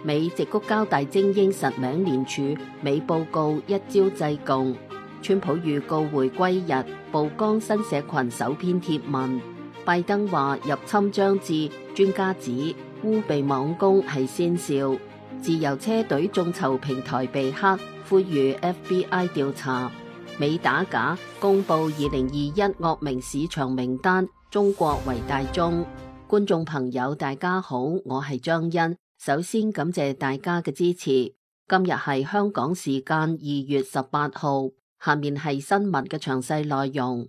美矽谷交大精英實名聯署，美報告一朝制共。川普預告回歸日，曝光新社群首篇貼文。拜登話入侵將至，專家指烏被網攻係先兆。自由車隊眾籌平台被黑，呼籲 FBI 調查。美打假公布2021惡名市場名單，中國為大宗。觀眾朋友大家好，我係張欣，首先感謝大家嘅支持。今日係香港時間2月18號，下面係新聞嘅詳細內容。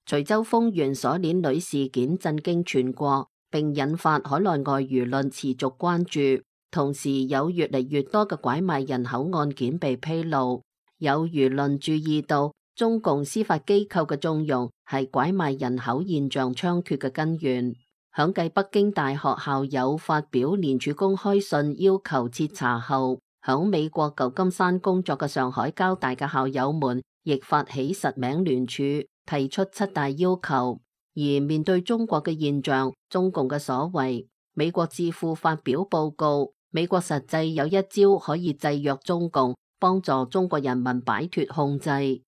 徐州豐源鎖鏈女事件震驚全國，並引發海內外輿論持續關注。同時有越嚟越多嘅拐賣人口案件被披露，有輿論注意到中共司法機構嘅縱容係拐賣人口現象猖獗嘅根源。響繼北京大學校友發表聯署公開信要求徹查後，響美國舊金山工作嘅上海交大嘅校友們亦發起實名聯署，提出7大要求。而面對中國嘅現象，中共嘅所為，美國智庫發表報告，美國實際有一招可以制約中共，幫助中國人民擺脫控制。2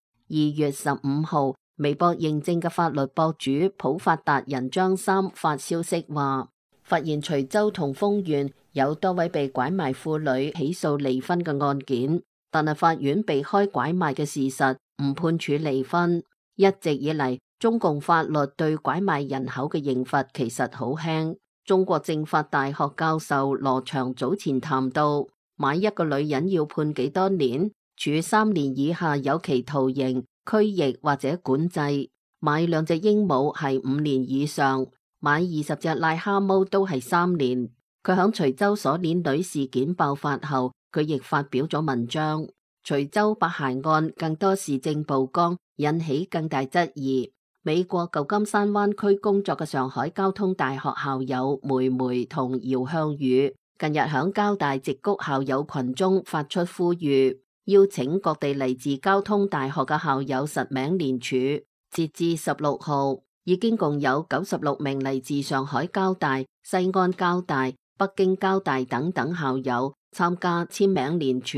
月15號，微博認證嘅法律博主普法達人張三發消息話，發現徐州同豐源有多位被拐賣婦女起訴離婚嘅案件，但係法院避開拐賣嘅事實，唔判處離婚。一直以嚟，中共法律對拐賣人口嘅刑罰其實好輕。中國政法大學教授羅翔早前談到，買一個女人要判幾多年？處3年以下有期徒刑、拘役或者管制；買2隻鸚鵡係5年以上；買20隻癩蛤蟆都係3年。佢響徐州鎖鏈女事件爆發後，佢亦發表咗文章。徐州白鞋案更多事證曝光，引起更大質疑。美國舊金山灣區工作嘅上海交通大學校友梅梅同姚向宇近日響交大矽谷校友群中發出呼籲，邀請各地嚟自交通大學嘅校友實名聯署。截至16號，已經共有96名嚟自上海交大、西安交大、北京交大等等校友參加簽名聯署，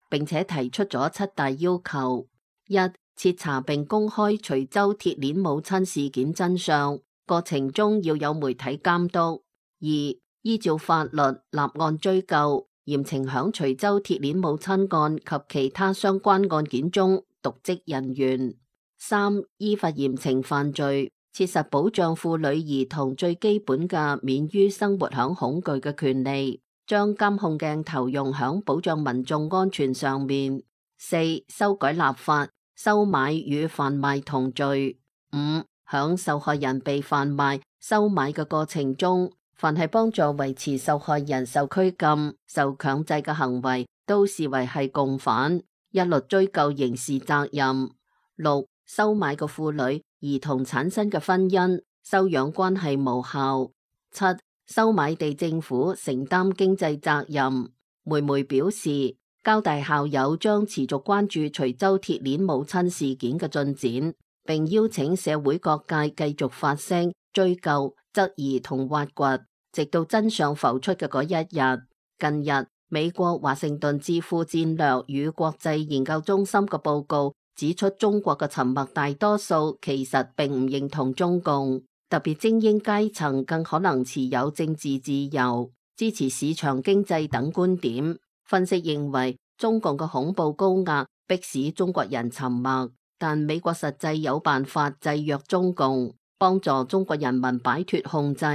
並且提出咗7大要求：一、徹查並公開徐州鐵鏈母親事件真相，過程中要有媒體監督； 2、依照法律立案追究，嚴懲響徐州鐵鏈母親案及其他相關案件中瀆職人員； 3、依法嚴懲犯罪，切實保障婦女兒童最基本嘅免於生活響恐懼嘅權利，將監控鏡頭用響保障民眾安全上面； 4、修改立法，收買與販賣同罪； 5、響受害人被販賣、收買嘅過程中，凡係幫助維持受害人受拘禁、受強制嘅行為，都視為係共犯，一律追究刑事責任。 6、收買嘅婦女、兒童產生嘅婚姻、收養關係無效。 7、收買地政府承擔經濟責任。梅梅表示，交大校友將持續關注徐州鐵鏈母親事件嘅進展，並邀請社會各界繼續發聲、追究、質疑同挖掘，直到真相浮出嘅嗰一日。近日，美國華盛頓智庫戰略與國際研究中心嘅報告指出，中國嘅沉默大多數其實並唔認同中共，特別精英階層更可能持有政治自由、支持市場經濟等觀點。分析認為，中共嘅恐怖高壓迫使中國人沉默，但美國實際有辦法制約中共，幫助中國人民擺脫控制。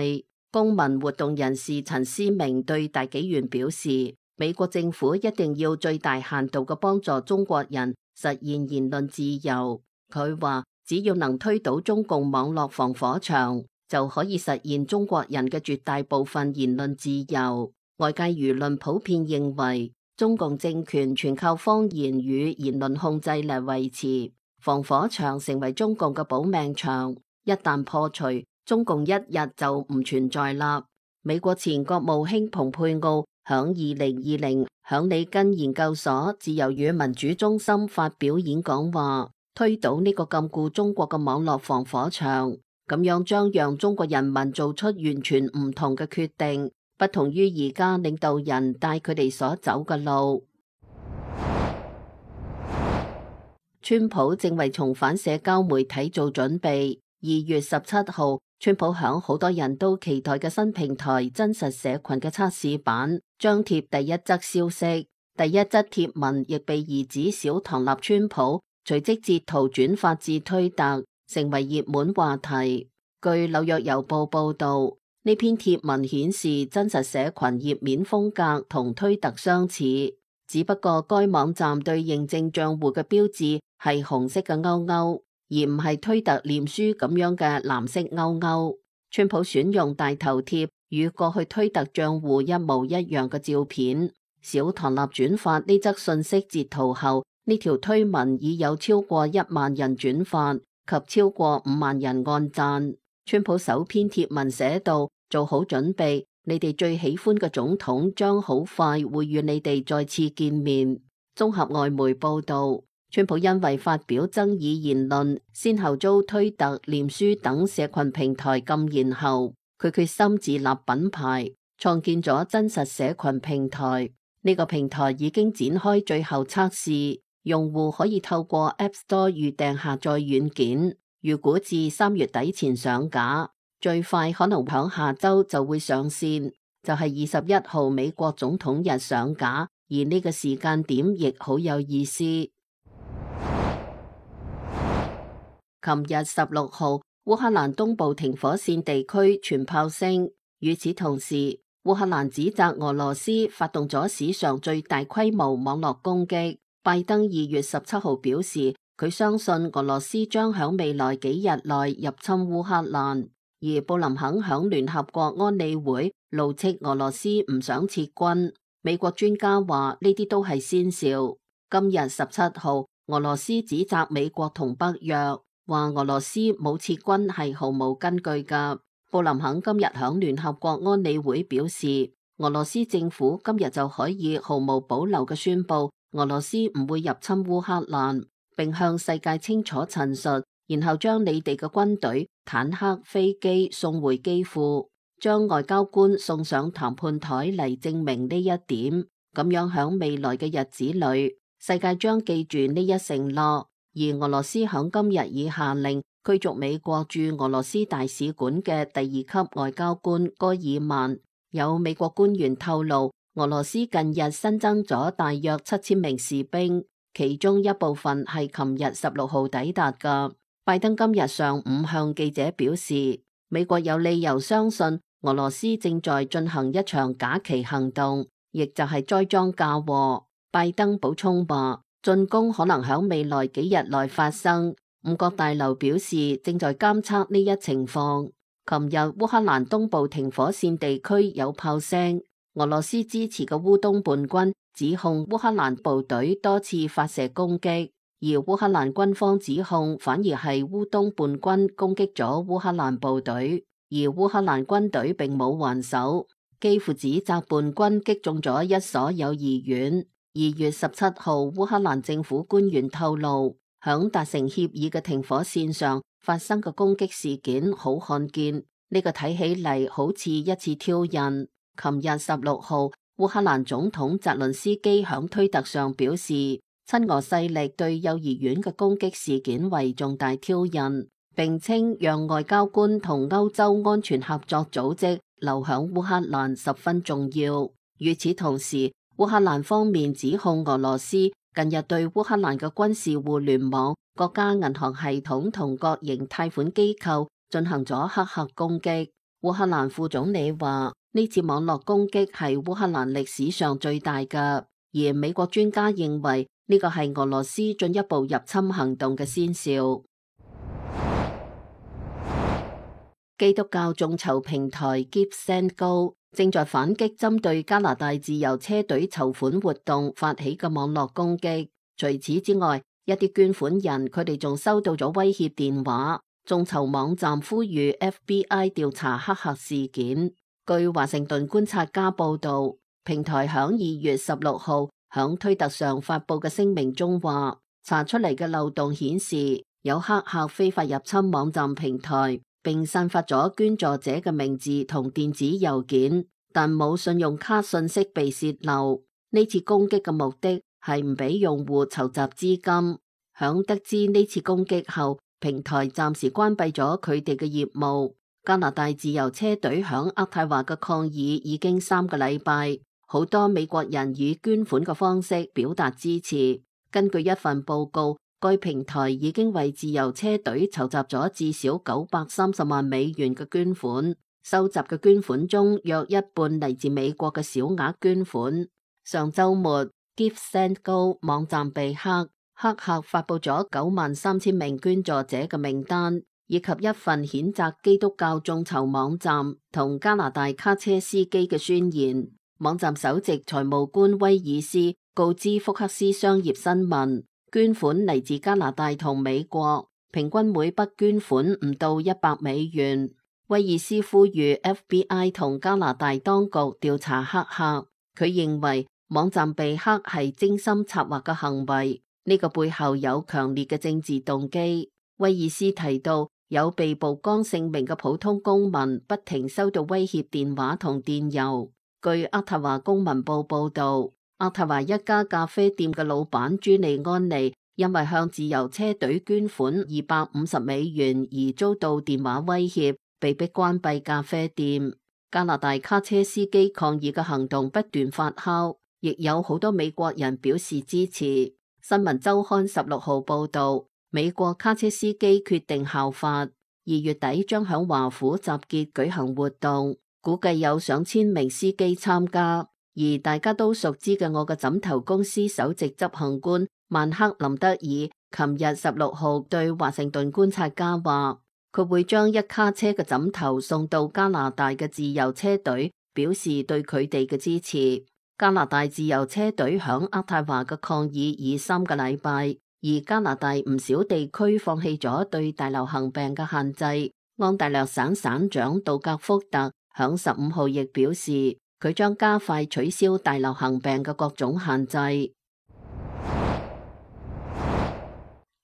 公民活動人士陳思明對大紀元表示，美國政府一定要最大限度嘅幫助中國人實現言論自由。佢話，只要能推倒中共網絡防火牆，就可以實現中國人嘅絕大部分言論自由。外界輿論普遍認為，中共政權全靠謊言與言論控制嚟維持，防火牆成為中共嘅保命牆，一旦破除，中共一日就唔存在啦。美國前國務卿蓬佩奧響2020響里根研究所自由與民主中心發表演講話，推倒呢個禁錮中國嘅網絡防火牆，咁樣將讓中國人民做出完全唔同嘅決定。不同於而家領導人帶佢哋所走嘅路。川普正為重返社交媒體做準備。2月17號，川普響好多人都期待嘅新平台真實社群嘅測試版張貼第一則消息，第一則貼文亦被兒子小唐納川普隨即截圖轉發至推特，成為熱門話題。據紐約郵報報道，呢篇貼文顯示真實社群頁面風格同推特相似，只不過該網站對認證賬戶嘅標誌係紅色嘅勾勾，而唔係推特臉書咁樣嘅藍色勾勾。川普選用大頭貼與過去推特賬戶一模一樣嘅照片。小唐納轉發呢則信息截圖後，呢條推文已有超過1萬人轉發及超過5萬人按讚。川普首篇貼文寫道：做好準備，你哋最喜歡嘅總統將好快會與你哋再次見面。綜合外媒報道，川普因為發表爭議言論，先後遭推特、臉書等社群平台禁言後，佢決心自立品牌，創建咗真實社群平台。呢個平台已經展開最後測試，用戶可以透過 App Store 預訂下載軟件，預估至3月底前上架，最快可能響下周就會上線，就係21號美國總統日上架，而呢個時間點亦好有意思。琴日16號，烏克蘭東部停火線地區傳炮聲，與此同時，烏克蘭指責俄羅斯發動咗史上最大規模網絡攻擊。拜登2月17號表示，佢相信俄羅斯將響未來幾日內入侵烏克蘭。而布林肯響聯合國安理會怒斥俄羅斯唔想撤軍。美國專家話呢啲都係先兆。今日17號，俄羅斯指責美國同北約，話俄羅斯冇撤軍係毫無根據㗎。布林肯今日響聯合國安理會表示，俄羅斯政府今日就可以毫無保留嘅宣布俄羅斯唔會入侵烏克蘭，並向世界清楚陳述，然後將你哋嘅軍隊、坦克、飛機送回基輔，將外交官送上談判台嚟證明呢一點。咁樣響未來嘅日子裏，世界將記住呢一承諾。而俄羅斯響今日已下令驅逐美國駐俄羅斯大使館嘅第2級外交官戈爾曼。有美國官員透露，俄羅斯近日新增咗大約7000名士兵，其中一部分係琴日16號抵達㗎。拜登今日上午向記者表示，美國有理由相信俄羅斯正在進行一場假旗行動，亦就係栽贓嫁禍。拜登補充話，進攻可能響未來幾日內發生。五角大樓表示正在監測呢一情況。琴日烏克蘭東部停火線地區有炮聲，俄羅斯支持嘅烏東叛軍指控烏克蘭部隊多次發射攻擊，而烏克蘭軍方指控反而係烏東叛軍攻擊咗烏克蘭部隊，而烏克蘭軍隊並冇還手。基輔指責叛軍擊中咗一所幼兒園。2月17號，烏克蘭政府官員透露，響達成協議嘅停火線上發生嘅攻擊事件好罕見，呢個睇起嚟好似一次挑釁。琴日16號，烏克蘭總統澤倫斯基響推特上表示，親俄勢力對幼兒園嘅攻擊事件為重大挑釁，並稱讓外交官同歐洲安全合作組織留響烏克蘭十分重要。與此同時，烏克蘭方面指控俄羅斯近日對烏克蘭嘅軍事互聯網、國家銀行系統同各型貸款機構進行咗黑客攻擊。烏克蘭副總理話，呢次網絡攻擊係烏克蘭歷史上最大嘅，而美國專家認為呢個係俄羅斯進一步入侵行動嘅先兆。基督教眾籌平台 GiveSendGo正在反擊針對加拿大自由車隊籌款活動發起嘅網絡攻擊。除此之外，一啲捐款人佢哋仲收到咗威脅電話。眾籌網站呼籲 FBI 調查黑客事件。據華盛頓觀察家報道，平台響2月16號響推特上發佈嘅聲明中話，查出嚟嘅漏洞顯示有黑客非法入侵網站平台，並散發咗捐助者嘅名字同電子郵件。但冇信用卡信息被洩漏。呢次攻擊嘅目的係唔俾用戶籌集資金。響得知呢次攻擊後，平台暫時關閉咗佢哋嘅業務。加拿大自由車隊響渥太華嘅抗議已經3個禮拜，好多美國人以捐款嘅方式表達支持。根據一份報告，該平台已經為自由車隊籌集咗至少930萬美元嘅捐款。收集嘅捐款中，約一半嚟自美國嘅小額捐款。上週末 GiveSendGo 網站被黑客發佈咗93000名捐助者嘅名單，以及一份譴責基督教眾籌網站同加拿大卡車司機嘅宣言。網站首席財務官威爾斯告知福克斯商業新聞，捐款嚟自加拿大同美國，平均每筆捐款唔到100美元。威爾斯呼籲 FBI 同加拿大當局調查黑客。佢認為網站被黑係精心策劃嘅行為，呢個背後有強烈嘅政治動機。威爾斯提到，有被曝光姓名嘅普通公民不停收到威脅電話同電郵。據渥太華公民報報道，渥太華一家咖啡店嘅老闆朱利安尼因為向自由車隊捐款250美元而遭到電話威脅，被迫關閉咖啡店。加拿大卡車司機抗議嘅行動不斷發酵，亦有好多美國人表示支持。新聞週刊16號報道，美國卡車司機決定效法，2月底將響華府集結舉行活動，估計有上千名司機參加。而大家都熟知嘅我嘅枕頭公司首席執行官曼克林德爾，琴日16號對華盛頓觀察家話，佢會將一卡車嘅枕頭送到加拿大嘅自由車隊，表示對佢哋嘅支持。加拿大自由車隊響渥太華嘅抗議已3個禮拜，而加拿大唔少地區放棄咗對大流行病嘅限制。安大略省省長杜格福特響15號亦表示，佢將加快取消大流行病嘅各種限制。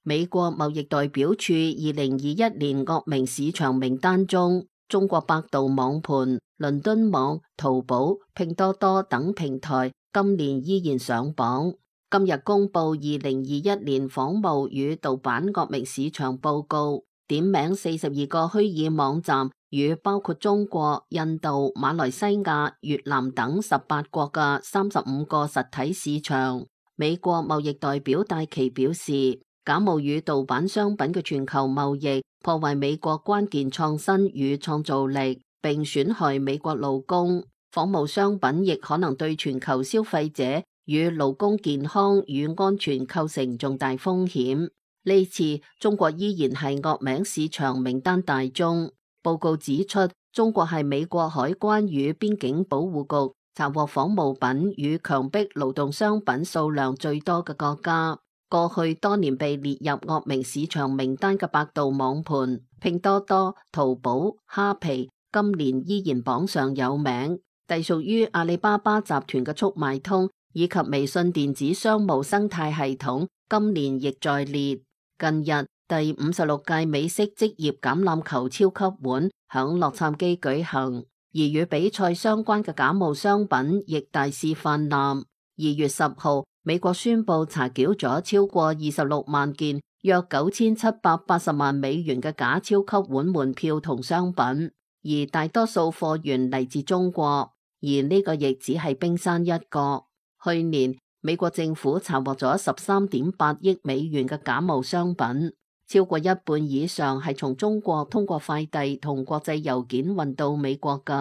美國貿易代表處2021年惡名市場名單中，中國百度網盤、倫敦網、淘寶、拼多多等平台今年依然上榜。今日公布2021年仿冒與盜版惡名市場報告，點名42個虛擬網站與包括中國、印度、馬來西亞、越南等18國嘅35個實體市場。美國貿易代表戴琪表示，假冒與盜版商品嘅全球貿易破壞美國關鍵創新與創造力，並損害美國勞工。仿冒商品亦可能對全球消費者與勞工健康與安全構成重大風險。呢次中國依然係惡名市場名單大宗。報告指出，中國係美國海關與邊境保護局查獲仿冒品與強迫勞動商品數量最多嘅國家。過去多年被列入惡名市場名單嘅百度網盤、拼多多、淘寶、蝦皮，今年依然榜上有名。隸屬於阿里巴巴集團嘅速賣通以及微信電子商務生態系統，今年亦在列。近日，第56屆美式職業橄欖球超級碗響洛杉磯舉行，而與比賽相關嘅假冒商品亦大肆氾濫。2月10號，美國宣布查繳咗超過26萬件，約9780萬美元嘅假超級碗門票同商品，而大多數貨源嚟自中國，而呢個亦只係冰山一角。去年，美國政府查獲咗13.8億美元嘅假冒商品，超過一半以上係從中國通過快遞同國際郵件運到美國㗎。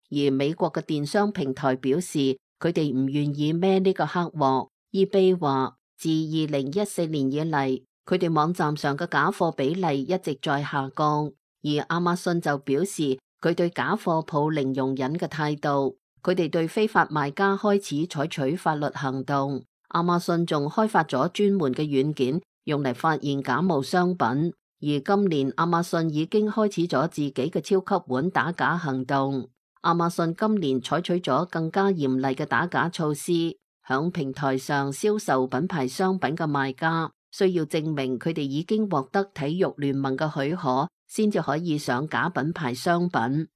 而美國嘅電商平台表示，佢哋唔願意孭呢個黑鑊。eBay 話，自2014年以嚟，佢哋網站上嘅假貨比例一直在下降。而亞馬遜就表示，佢對假貨抱零容忍嘅態度。佢哋對非法賣家開始採取法律行動。亞馬遜仲開發咗專門嘅軟件，用嚟發現假冒商品。而今年亞馬遜已經開始咗自己嘅超級碗打假行動。亞馬遜今年採取咗更加嚴厲嘅打假措施，響平台上銷售品牌商品嘅賣家需要證明佢哋已經獲得體育聯盟嘅許可，先至可以上假品牌商品。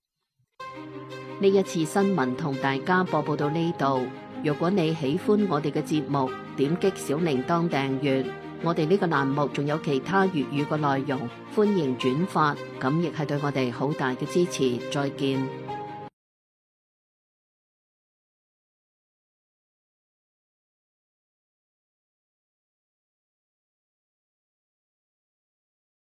呢一次新聞同大家播報到呢度。如果你喜歡我哋嘅節目，點擊小鈴鐺訂閱。我哋呢個欄目仲有其他粵語嘅內容，歡迎轉發，咁亦係對我哋好大嘅支持。再見。